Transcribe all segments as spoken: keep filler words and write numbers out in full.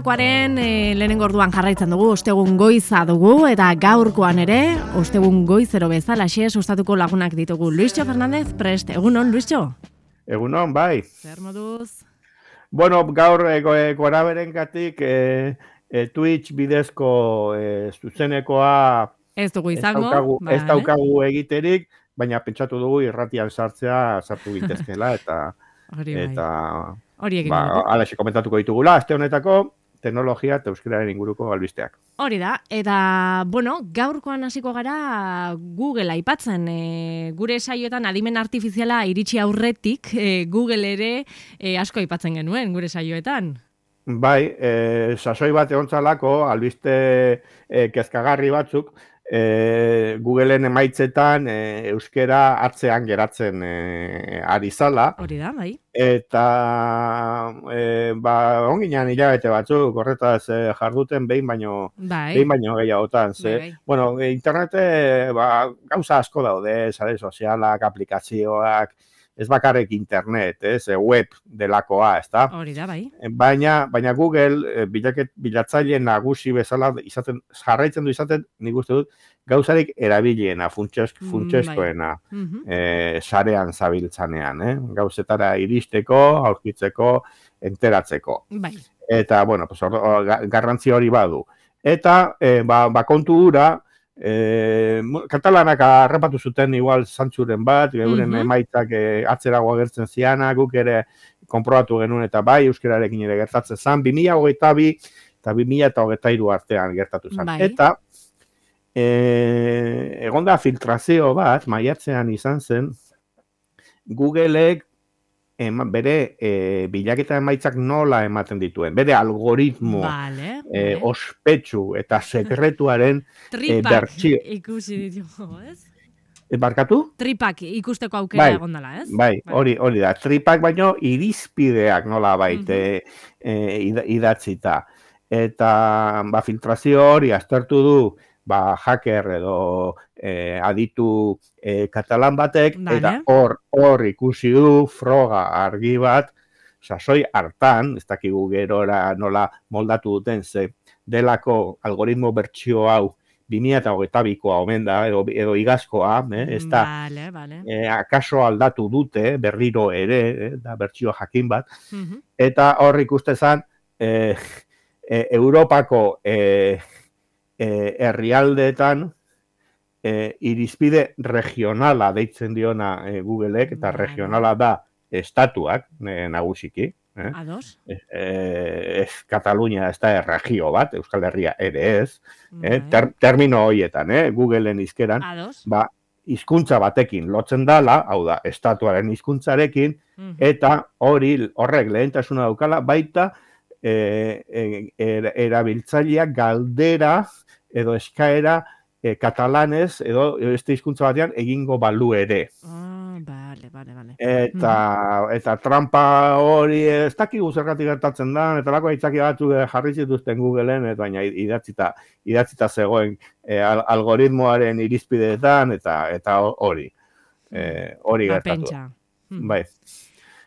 Gaurkoaren e, lehenengo orduan jarraitzen dugu, ostegun goiza dugu, eta gaurkoan ere, ostegun goizero bezalaxe sustatuko lagunak ditugu. Luisjo Fernandez, prest, egunon, Luisjo? Egunon, bai. Zer moduz? Bueno, gaur e, gora berengatik e, e, Twitch bidezko e, zuzenekoa ez dugu izango, ez daukagu, vale. ez daukagu egiterik, baina pentsatu dugu irratian sartzea sartu gintezkela, eta hori bai. eta hori egin ba, dugu. alaxe komentatuko ditugula, aste honetako teknologia eta euskararen inguruko albisteak. Hori da, eta, bueno, gaurkoan hasiko gara Google aipatzen. E, gure saioetan adimen artifiziala iritsi aurretik, e, Google ere e, asko aipatzen genuen gure saioetan. Bai, e, sasoi bat egontzalako, albiste e, kezkagarri batzuk, e, Googleen emaitzetan e, euskera atzean geratzen e, ari zala. Hori da, bai. Eta e, ba, onginan hilabete batzuk, horretaz e, jarduten behin baino, bai. behin baino gehiagotan. Ze, bai, bai. Bueno, internete ba, gauza asko daude, sare sozialak, aplikazioak, ez bakarrik internet, ez, web delakoa, ez da? Hori da, bai. Baina, baina Google bilaket, bilatzaile nagusi bezala izaten, jarraitzen du izaten, nik uste dut, gauzarik erabiliena, funtsezkoena, mm, bai. e, sarean zabiltzanean, eh? Gauzetara iristeko, aurkitzeko, enteratzeko. Bai. Eta, bueno, pues, or, or, garrantzi hori badu. Eta, e, ba, ba kontu hura, E, katalanak arrapatu zuten igual zantzuren bat, euren Mhm. emaitzak e, atzerago agertzen ziana, guk ere konprobatu genuen eta bai, euskararekin ere gertatzen zen, bi mila hogeita bi eta bi mila hogeita hiru artean gertatu zen. Bai. Eta e, egonda filtrazio bat, maiatzean izan zen, Googleek Ema, bere e, bilaketa emaitzak nola ematen dituen, bere algoritmo vale, e, vale. ospetsu eta sekretuaren e, bertsio. Ikusi ditugu, ez? E, barkatu? Tripak ikusteko aukera bai, egondala, ez? Bai, hori, hori da. Tripak baino irizpideak nola baite Mhm. e, idatzita. Eta ba, filtrazio hori aztertu du ba, hacker edo eh, aditu eh, katalan batek, vale. Eta hor hor ikusi du froga argi bat, sasoi hartan, ez dakigu gerora nola moldatu duten, ze delako algoritmo bertsio hau bi mila hogeita bikoa omen da, edo, edo igazkoa, eh, ez da, vale, vale. eh, akaso aldatu dute, berriro ere, eh, da bertsio jakin bat, Mhm. eta hor ikustezan, eh, eh, Europako eh, E, herrialdeetan e, irizpide regionala deitzen diona e, Googleek, eta vale. regionala da estatuak e, nagusiki. Eh? Ados. Ez, e, ez Katalunia ez da erregio bat, Euskal Herria ere ez. Eh? Vale. Ter, termino horietan, eh? Googleen izkeran, Ados. ba, hizkuntza batekin lotzen dala, hau da, estatuaren hizkuntzarekin, Mhm. eta hori horrek lehentasuna daukala, baita e, e, er, erabiltzaileak galdera edo eskaera e, katalanez edo beste hizkuntza batean egingo balu ere. Ah, vale, vale, vale. Eta, mm-hmm. eta trampa hori ez dakigu zergatik gertatzen da, eta lako aitzaki batzuk jarri zituzten Googleen, eta baina idatzita, idatzita zegoen e, al, algoritmoaren irizpideetan, eta eta hori. E, hori ba, gertatu. Pentsa. Bai.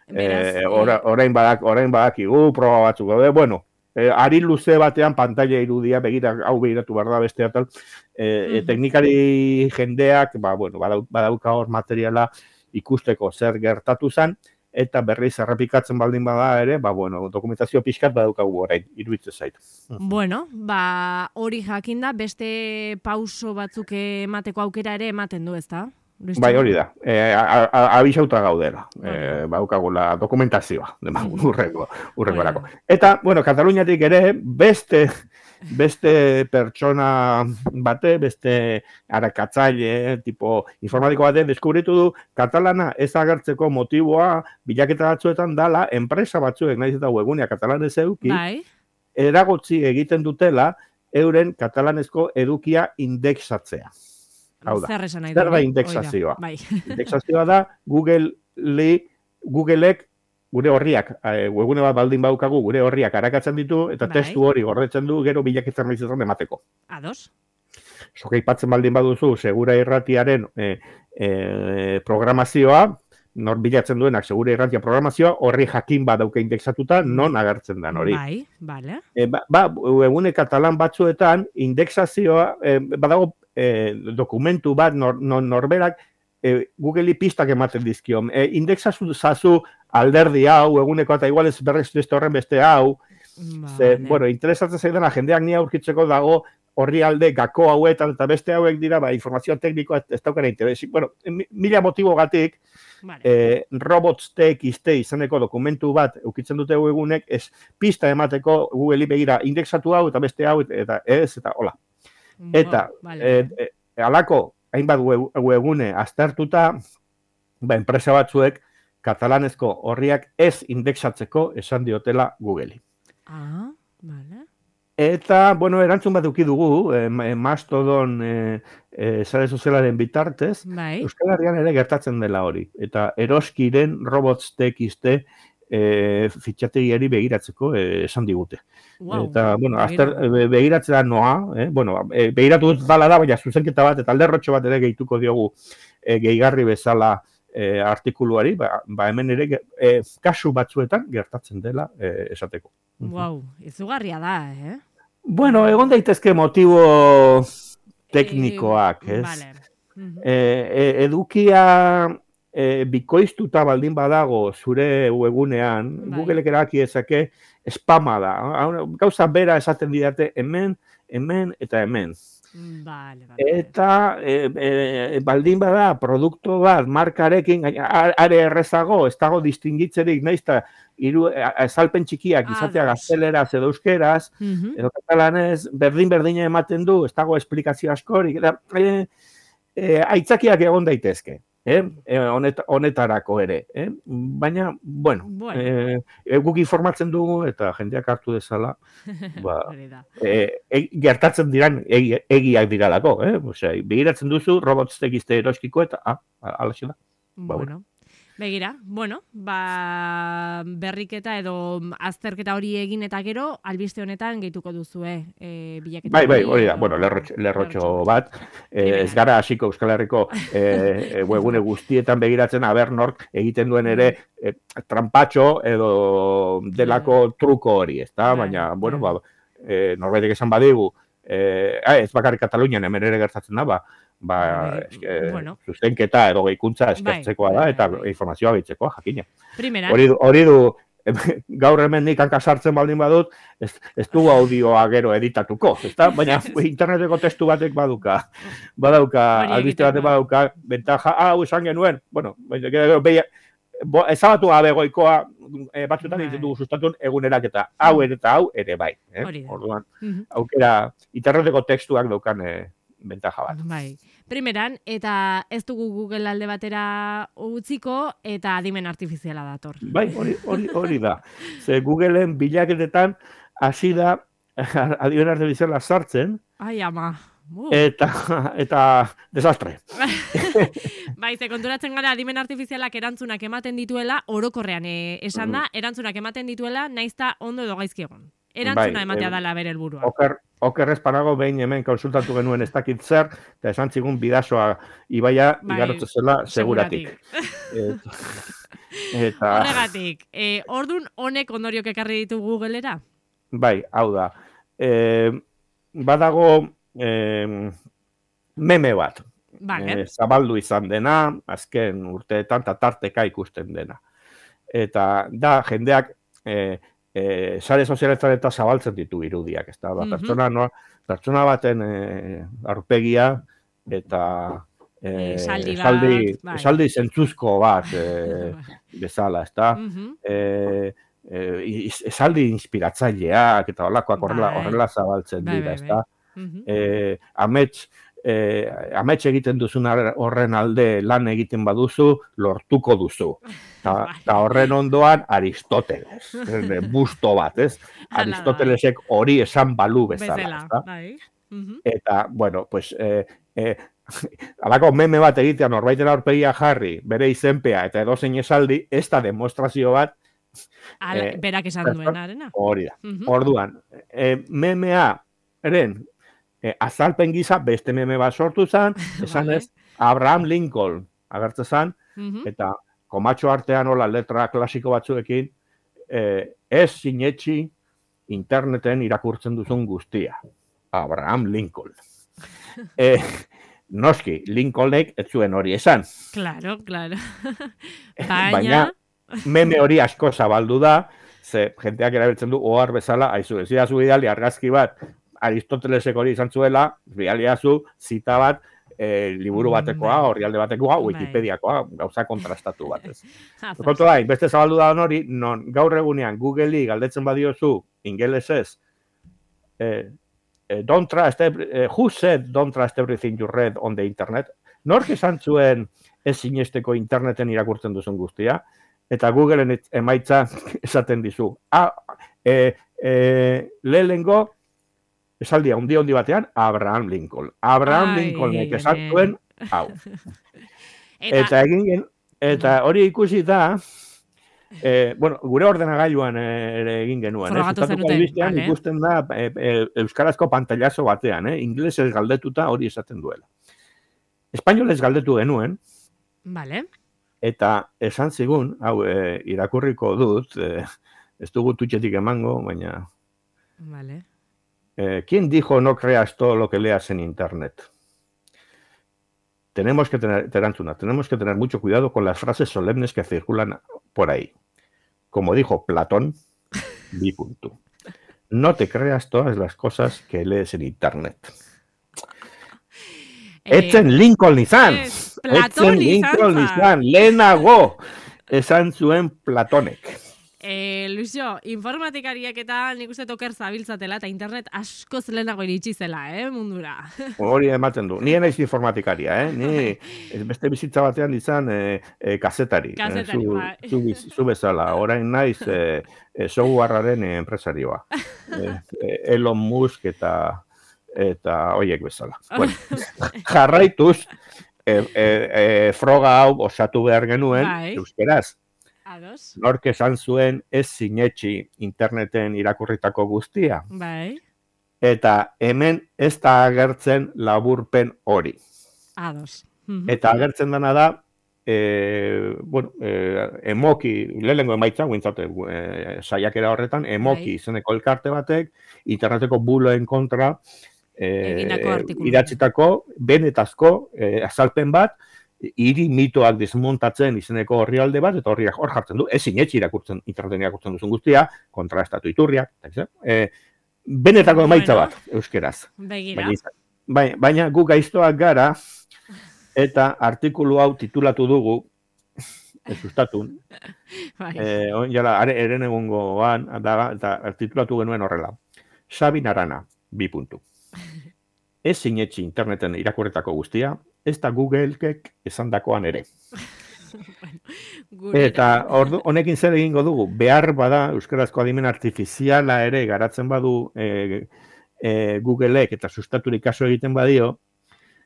Beraz, Eh, ora, orain badak, orain badakigu proba batzuk daude. Bueno, eh, ari luze batean pantalla irudia begira hau begiratu behar da beste atal. Eh, Mhm. Teknikari jendeak, ba bueno, badau, badauka hor materiala ikusteko zer gertatu zen, eta berriz errepikatzen baldin bada ere, ba bueno, dokumentazio pixkat badaukagu orain, iruditzen zait. Bueno, ba hori jakinda beste pauso batzuk emateko aukera ere ematen du, ezta? Bai, hori da. Eh, abisauta gaudela. Eh, baukagula dokumentazioa, urrengo, urrengorako. Eta, bueno, Kataluniatik ere beste beste pertsona bate, beste arakatzaile, tipo informatiko bate, deskubritu du katalana ez agertzeko motiboa bilaketa batzuetan dala, enpresa batzuek, nahiz eta webgunea katalanez eduki, bai. eragotzi egiten dutela euren katalanezko edukia indexatzea. Hau da, zer esan nahi zer da indexazioa? Bai. Indexazioa da Google Googleek gure horriak, webgune bat baldin baukagu, gure horriak arakatzen ditu, eta bai. testu hori gordetzen du gero bilaketzen nahizetan emateko. Ados. Soka ipatzen baldin baduzu, segura irratiaren e, e, programazioa, nor bilatzen duenak segure irratia programazioa, horri jakin bat dauka indexatuta, non agertzen den hori. Bai, bale. E, ba, ba, webgune katalan batzuetan, indexazioa, e, badago e, dokumentu bat nor, nor, norberak e, Google-i pistak ematen dizkio. E, indexazu zazu alderdi hau, eguneko eta igual ez berrez beste horren beste hau. Vale. Ze, bueno, interesatzen zaidana, jendeak ni aurkitzeko dago horri alde gako hauetan eta beste hauek dira, ba, informazioa teknikoa ez daukara interesi. Bueno, mila motibo gatik, vale. eh, robots.txt izaneko dokumentu bat eukitzen dute egunek, ez pista emateko Google-i begira indexatu hau eta beste hau eta ez eta hola. Eta, Wow, vale. eh, eh, alako, hainbat web, webgune aztertuta, ba, enpresa batzuek katalanezko horriak ez indexatzeko esan diotela Google-i. Ah, vale. Eta, bueno, erantzun bat duki dugu, eh, Mastodon eh, eh, sare sozialaren bitartez, Bai. Euskal Herrian ere gertatzen dela hori. Eta eroskiren robots.txt eh, fitxategiari begiratzeko eh, esan digute. Wow, eta, bueno, begira. azter, be, begiratzea noa, eh? bueno, eh, begiratu dut dala da, baina zuzenketa bat, eta alderrotxo bat ere gehituko diogu eh, gehigarri bezala eh, artikuluari, ba, ba hemen ere eh, kasu batzuetan gertatzen dela eh, esateko. Wow, izugarria da, eh? Bueno, egon daitezke motibo teknikoak, Eh, ez? Vale. Mhm. E, e, edukia e, bikoiztuta baldin badago zure webgunean, Bai. Googleek erabaki dezake spama da. Gauza bera esaten didate hemen, hemen eta hemen. Vale, vale. Eta e, e, baldin bada produktu bat markarekin gaina, are errezago, ez dago distingitzerik naiz eta hiru azalpen txikiak izatea Ados. gazteleraz edo euskeraz, Mhm. edo katalanez, berdin-berdina ematen du, ez dago esplikazio askorik, eta e, e, aitzakiak egon daitezke, eh? E, honet, honetarako ere. Eh? Baina, bueno, Bueno. e, e, guk informatzen dugu eta jendeak hartu dezala, ba, Hori da. e, e, gertatzen diran egi, egiak diralako, eh? Osea, begiratzen duzu, robots.txt eroskiko eta, ah, alaxe da. Ba, Bueno. Begira, bueno, ba, berriketa edo azterketa hori egin eta gero, albiste honetan gehituko duzue e, bilaketa. Bai, bai, hori hori da, edo- bueno, lerrotxo, lerrotxo lerrotxo. bat, eh, ez gara hasiko Euskal Herriko eh, webgune guztietan begiratzen, aber nork egiten duen ere eh, trampatxo edo delako truko hori, ezta? Bai, Baina, bueno, bai. ba, eh, norbaitek esan badigu, eh, ah, ez bakarrik Katalunian hemen ere gertatzen da, ba, ba, Bai, eske, bueno. zuzenketa edo gehikuntza eskertzekoa Bai, da, bai, eta bai. informazioa gehitzekoa, jakina. Primera. Hori du, hori du, gaur hemen nik hanka sartzen baldin badut, ez, ez dugu audioa gero editatuko, ezta? Baina interneteko testu batek baduka, badauka, Hori albiste batek egiteko. badauka, bentaja, ah, hau esan genuen, bueno, baina gero behi, bo, ezabatu gabe goikoa, e, batzuetan Bai. egiten dugu sustatun egunerak eta hau ere eta hau ere bai. Eh? Hori da. Orduan, Mhm. aukera, interneteko testuak daukan e, bentaja bat. Bai. Primeran, eta ez dugu Google alde batera utziko, eta adimen artifiziala dator. Bai, hori, hori, hori da. Ze Googleen bilaketetan hasi da adimen artifiziala sartzen, Ai, ama. Uh. eta, eta desastre. Bai, ze konturatzen gara adimen artifizialak erantzunak ematen dituela, orokorrean eh, esan da, erantzunak ematen dituela, naizta ondo edo gaizki egon. Erantzuna Bai, ematea em, dala bere helburua. Oker, oker ez panago behin hemen konsultatu genuen ez dakit zer, eta esan zigun bidasoa ibaia Bai, igarotze zela seguratik. Et, eta, Horregatik, eh, ordun honek ondoriok ekarri ditu Googlera? bai, hau da. E, badago e, meme bat. Vale. E, zabaldu izan dena, azken urteetan eta tarteka ikusten dena. Eta da, jendeak e, e, sare sozialetan eta zabaltzen ditu irudiak, ez da, ba, Mhm. pertsona, no, pertsona baten e, aurpegia eta e, Esaldi bat, esaldi, bai. esaldi zentzuzko bat e, bezala, ez da. Mhm. E, e, is- esaldi inspiratzaileak eta holakoak horrela, Bai. horrela zabaltzen Bai, dira, bai, ez da. Mhm. E, amets, e, amets egiten duzun ar- horren alde lan egiten baduzu, lortuko duzu. Ta, Bai. ta horren ondoan Aristoteles, eh, busto bat, ez? Hala da. Aristotelesek hori esan balu bezala, Bezala, ezta? bai. Mhm. Eta, bueno, pues, eh, eh, alako meme bat egitea norbaiten aurpegia jarri, bere izenpea eta edozein esaldi, ez da demostrazio bat, Ala, Eh, berak esan pertson- duenarena. hori da. Mhm. Orduan, e, memea, eren, e, azalpen gisa beste meme bat sortu zen, esan Vale. ez, Abraham Lincoln agertzen zen, Mhm. eta komatxo artean hola letra klasiko batzuekin, eh, ez sinetxi interneten irakurtzen duzun guztia. Abraham Lincoln. eh, noski, Lincolnek ez zuen hori esan. Claro, claro. Baina, Baina, meme hori asko zabaldu da, ze jenteak erabiltzen du ohar bezala, aizu, ez zu bidali argazki bat, Aristotelesek hori izan zuela, bidaliazu zita bat, eh, liburu batekoa, Bai. orrialde batekoa, Bai. Wikipediakoa, gauza kontrastatu batez. Ah, Kontu da, beste zabaldu da hori, non gaur egunean Google'i galdetzen badiozu, ingelesez, eh, eh, don't trust, every, eh, who said don't trust everything you read on the internet? Nork esan zuen ez sinesteko interneten irakurtzen duzun guztia? Eta Googleen et- emaitza esaten dizu. Ah, eh, eh, lehenengo, esaldia hundi hundi batean, Abraham Lincoln. Abraham Ai, Lincolnek ai, esan ai. zuen, hau. Eta, Eta egin gen, eta hori ikusi da, eh, bueno, gure ordenagailuan eh, ere egin genuen, eh? Frogatu Sustatuko zenuten, albistean vale. ikusten da eh, eh, euskarazko pantailazo batean, eh? Ingelesez galdetuta hori esaten duela. Espainolez galdetu genuen, vale. eta esan zigun, hau eh, irakurriko dut, eh, ez dugu tutxetik emango, baina... Vale. Eh, ¿Quién dijo no creas todo lo que leas en Internet? Tenemos que tener, terantzuna, tenemos que tener mucho cuidado con las frases solemnes que circulan por ahí. Como dijo Platón, bi punto. No te creas todas las cosas que lees en Internet. Etzen Lincoln izan! ez, Platon Etzen Lincoln izan izan! Lehenago! Esan zuen Platonek. Eh, Luisio, informatikariak eta nik uste toker zabiltzatela eta internet askoz lehenago iritsi zela, eh, mundura. Hori ematen du. Ni naiz informatikaria, eh? Ni beste bizitza batean izan eh, eh, kazetari. Kazetari, eh, zu, bai. zu, biz- zu bezala. Orain naiz eh, eh, softwarearen eh, enpresarioa. Eh, eh, Elon Musk eta eta hoiek bezala. Bueno, jarraituz, eh, eh, eh, froga hau osatu behar genuen, Bai. euskeraz. Ados, Nork esan zuen ez sinetxi interneten irakurritako guztia. bai, Eta hemen ez da agertzen laburpen hori. ados. Mhm. Eta agertzen dena da, e, bueno, e, emoki, lehenengo emaitza, guintzate, e, saiakera horretan, emoki Bai. izeneko elkarte batek, interneteko buloen kontra, e, Egindako artikulu. idatzitako, benetazko e, azalpen bat, hiri mitoak desmontatzen izeneko orrialde bat, eta horriak hor jartzen du, ez sinetxi irakurtzen, interneten irakurtzen duzun guztia, kontrastatu iturriak, e, benetako emaitza Bueno. bat, euskeraz. Begira. Baina, izan- bai- baina gu gaiztoak gara, eta artikulu hau titulatu dugu, ez sustatun, Bai. eh, on jala, are, eren egungoan, da, eta titulatu genuen horrela. Sabin Arana, bi puntu. Ez sinetxi interneten irakurretako guztia, ez da Googleek esandakoan ere. Gure. Eta ordu, honekin zer egingo dugu, behar bada euskarazko adimen artifiziala ere garatzen badu e, e, Googleek eta sustaturik kaso egiten badio,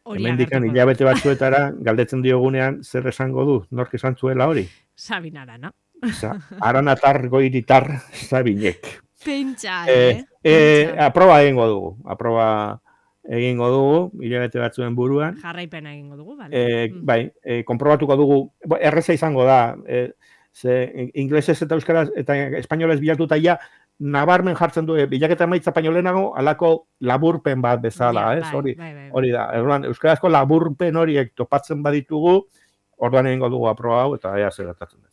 Hori hemendikan agertuko da. hilabete batzuetara galdetzen diogunean zer esango du, nork esan zuela hori? Sabin Arana. Osa, aranatar goiritar Sabinek. Pentsa, Eh, eh? eh, Pentsa. aproba egingo dugu, aproba egingo dugu, hilabete batzuen buruan. Jarraipena egingo dugu, bale? Eh, Mm. bai, eh, konprobatuko dugu, bo, erreza izango da, eh, ze inglesez eta euskaraz eta espainolez bilatuta ja, nabarmen jartzen du, eh, bilaketa emaitza baino lehenago, alako laburpen bat bezala, Ja, ez? bai, Hori, bai, bai, bai. hori da. Orduan, euskarazko laburpen horiek topatzen baditugu, orduan egingo dugu aproba hau, eta ea zer gertatzen den.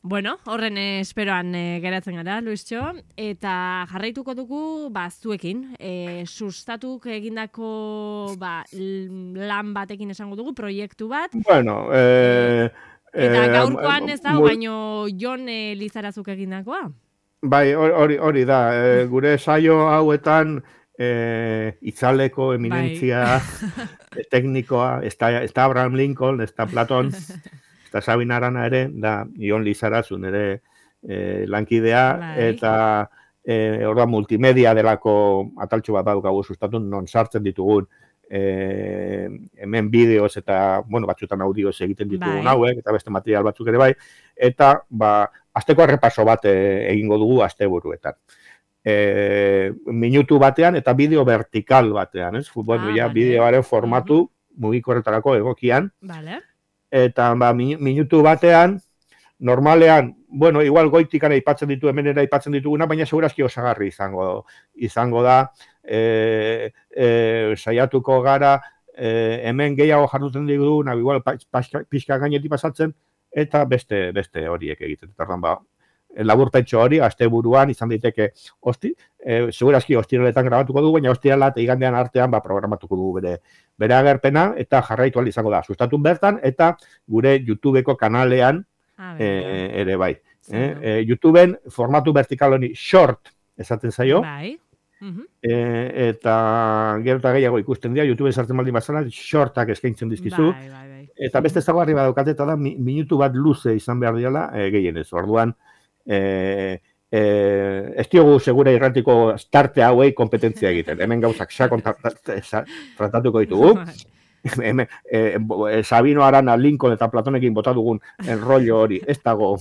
Bueno, horren eh, esperoan eh, geratzen gara, Luistxo, eta jarraituko dugu, ba, zuekin, eh, sustatuk egindako, ba, l- lan batekin esango dugu, proiektu bat, Bueno, eh, eta eh, gaurkoan ez da, mu- baino Jon eh, Lizarazuk egindakoa. Bai, hori hori da, e, gure saio hauetan e, itzaleko eminentzia e, teknikoa, ez da, ez da Abraham Lincoln, ez da Platon, ez da Sabin Arana ere, da Jon Lizarazun ere e, lankidea, Bai. eta e, orduan multimedia delako ataltxo bat daukagu sustatun, non sartzen ditugun e, hemen bideoz eta, bueno, batzutan audioz egiten ditugun Bai. hauek, eta beste material batzuk ere bai, eta, ba, asteko errepaso bat e, egingo dugu asteburuetan. E, minutu batean eta bideo vertikal batean, ez? Bueno, Ah, ja, vale. bideoaren formatu mugikorretarako egokian, Vale. eta ba, mi- minutu batean normalean, bueno, igual goitikana aipatzen ditu, hemenera aipatzen dituguna, baina segurazki osagarri izango izango da, e, e, saiatuko gara, e, hemen gehiago jarduten diguna, igual pixka gainetik pasatzen, eta beste beste horiek egiten. Orduan ba, laburpentxo hori, asteburuan izan daiteke hosti, e, segurazki ostiraletan grabatuko du, baina ostirala eta igandean artean ba, programatuko du bere bere agerpena, eta jarraitu ahal izango da. Sustatun bertan, eta gure YouTubeko kanalean e, ere bai. Eh? E, YouTubeen formatu vertikal honi short esaten zaio. Bai. Uh-huh. E, eta gero eta gehiago ikusten dira, YouTube sartzen baldin bazala, shortak eskaintzen dizkizu. Bai, bai, bai. Eta beste ezaugarri badaukate, eta da, mi, minutu bat luze izan behar diala, e, gehienez. Orduan, e, e, ez diogu segura irratiko starte hauei kompetentzia egiten. Hemen gauzak sakon tratatuko ditugu. Hemen, e, Sabino Arana, Lincoln eta Platonekin bota dugun enrollo hori, ez dago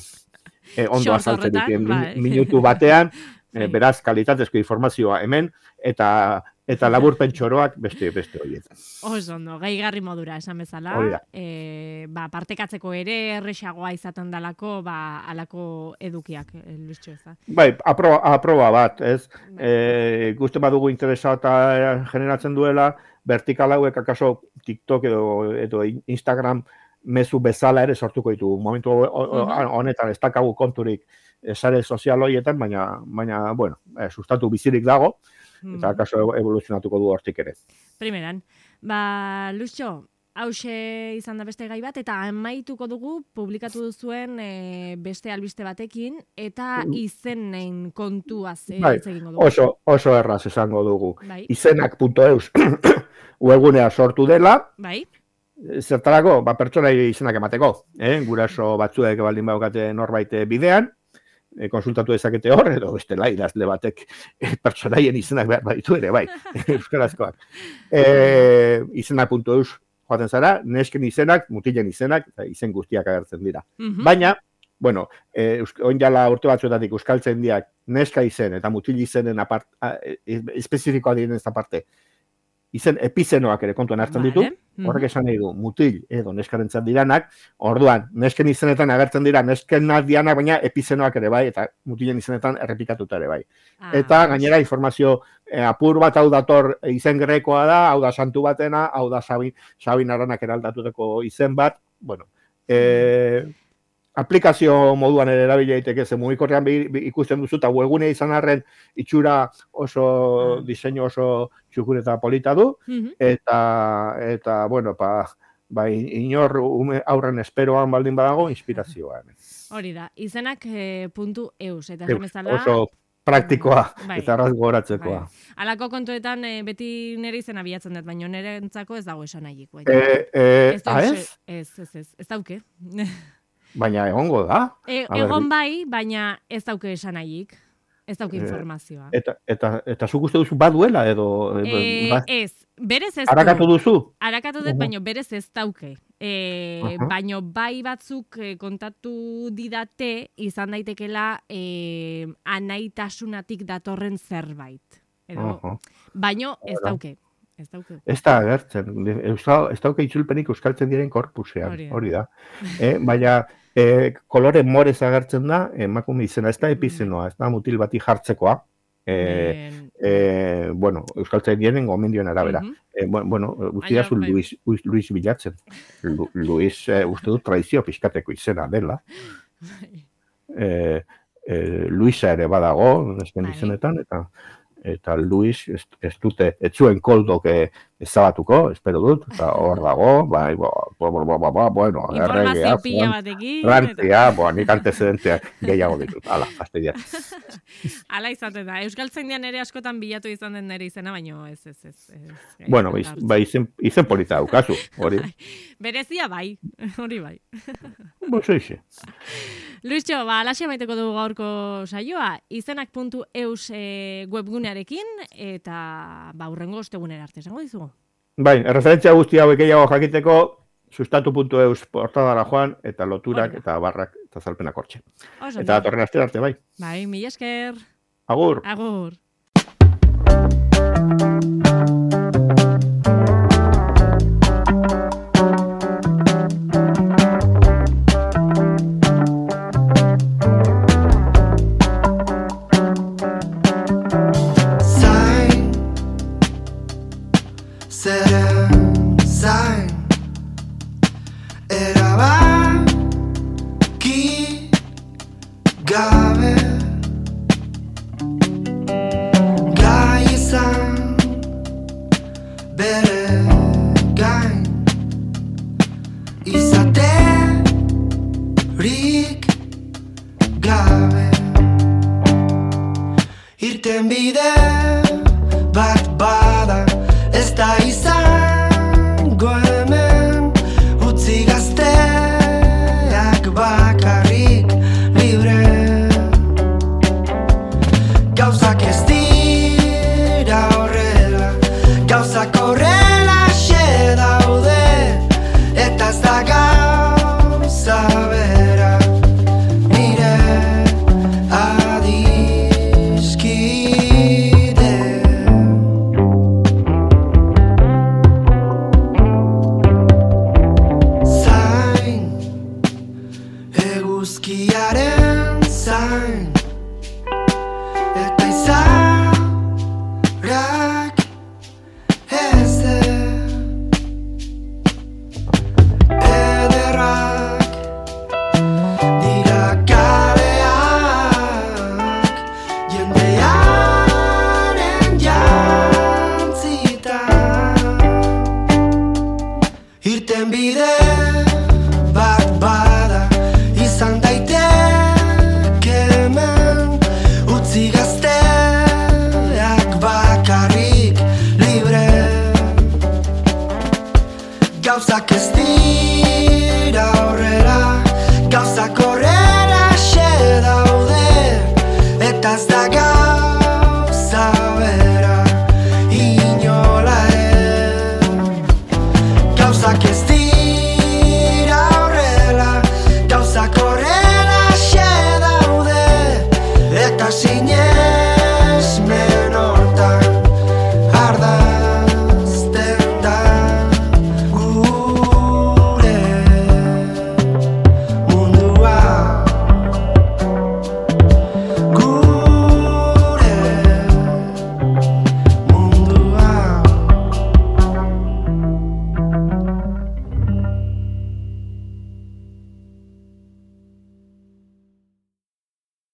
e, ondo azaltzen ditu minutu batean. E, beraz, kalitatezko informazioa hemen, eta eta laburpen txoroak beste beste horietan. Oso ondo, gaigarri modura esan bezala, e, ba, partekatzeko ere erresagoa izaten dalako, ba, alako edukiak, e, Luistxo ez da. Bai, aproba, aproba bat, ez? E, Guzti badugu interesa eta generatzen duela, vertikal hauek akaso TikTok edo, edo Instagram mezu bezala ere sortuko ditugu. Momentu honetan ez dakagu konturik sare sozial horietan, baina, baina bueno, eh, sustatu bizirik dago, eta akaso evoluzionatuko du hortik ere. Primeran, ba, Luistxo, hause izan da beste gai bat, eta amaituko dugu publikatu duzuen e, beste albiste batekin, eta izenen kontuaz e, bai, egingo dugu. Oso, oso erraz esango dugu. Bai. Izenak puntu eus webgunea sortu dela, bai. Zertarako, ba, pertsonai izenak emateko, eh? Guraso batzuek baldin baukate norbait bidean, e, konsultatu dezakete hor, edo bestela idazle batek e, pertsonaien izenak behar baditu ere, bai, euskarazkoak. E, izenak puntu eus joaten zara, nesken izenak, mutilen izenak, eta izen guztiak agertzen dira. Mm-hmm. Baina, bueno, e, oin jala urte batzuetatik euskaltzen diak neska izen eta mutil izenen apart, a, e, espezifikoa diren ez aparte, izen epizenoak ere kontuan hartzen ditu, horrek esan nahi du, mutil edo neskarentzat diranak, orduan, nesken izenetan agertzen dira, nesken dianak, baina epizenoak ere bai, eta mutilen izenetan errepikatuta ere bai. Ah, eta gainera informazio eh, apur bat hau dator izen grekoa da, hau da santu batena, hau da Sabin, Sabin Aranak eraldatuteko izen bat, bueno, eh, aplikazio moduan ere erabili daiteke, ze mugikorrean ikusten duzu, eta webgunea izan arren itxura oso, diseinu oso txukur eta polita du, eta, eta bueno, pa, ba, inor ume aurren esperoan baldin badago, inspirazioa. Hori da, izenak e, puntu eus, eta esan bezala... Oso praktikoa, bai, eta arraz goratzekoa. Bai. Alako kontuetan e, beti nire izena bilatzen dut, baina nire entzako ez dago esan nahik. Bai. E, e, ez, ez? Ez, ez, ez, ez dauke. Baina egongo da. E, egon bai, baina ez dauke esan nahik. Ez dauke informazioa. Eta, eta, eta zuk uste duzu baduela edo... E, ba, ez, berez ez Arakatu duzu? Arakatu dut, uh-huh. Baina berez ez dauke. E, uh-huh. Baina bai batzuk e, kontatu didate izan daitekela e, anaitasunatik datorren zerbait. Edo, uh-huh. Baina ez dauke. Ez dauke. Ez da agertzen. Ez dauke itzulpenik euskaltzen diren korpusean. Hori da. E, baina e, kolore morez agertzen da, emakume izena, ez da epizenoa, ez da mutil bati jartzekoa. E, e, bueno, euskaltzen diren gomendioen arabera. Uh-huh. e, bueno, guztia zu Luis, Luis bilatzen. Lu, Luis, e, uste dut, tradizio pixkateko izena dela. E, e, Luisa ere badago, nesken izenetan, eta... eta Luis ez, ez dute, ez zuen koldok ezabatuko, espero dut, eta hor dago, bai, bo, bo, bo, bo, bo, bueno, informazio pila batekin. Rantia, bo, nik antecedenteak gehiago ditut, ala, fastidiat. Ala izaten da, Euskaltzaindian ere askotan bilatu izan den nire izena, baino ez, ez, ez. ez bueno, iz, bai, izen, izen polita daukazu, hori. Berezia bai, hori bai. Bo, zoize. Luistxo, ba, alaxe maiteko dugu gaurko saioa, izenak puntu eus e, webgunearekin, eta ba, urrengo ostegunera arte, esango dizugu? Bai, erreferentzia guzti hauek gehiago jakiteko, sustatu puntu eus portadara joan, eta loturak, Oida. Eta barrak, eta zalpenak hortxe. Oso, eta torren aste arte, bai. Bai, mila esker. Agur. Agur. gabe gai izan bere gain izaterik gabe irten bide bat bada ez da izango hemen utzi gazteak bakarrik libre gauzak ez dira horrela gauzak horrela xe daude eta ez da gauza bera nire adiskide zain eguzkiaren zain eta izarak ez ederrak dira kaleak jendearen jantzita irten bide bat bada izan daiteke hemen utzi gazteak bakarrik libre gauzak ez dira horrela gauzak horrela xe daude eta ez da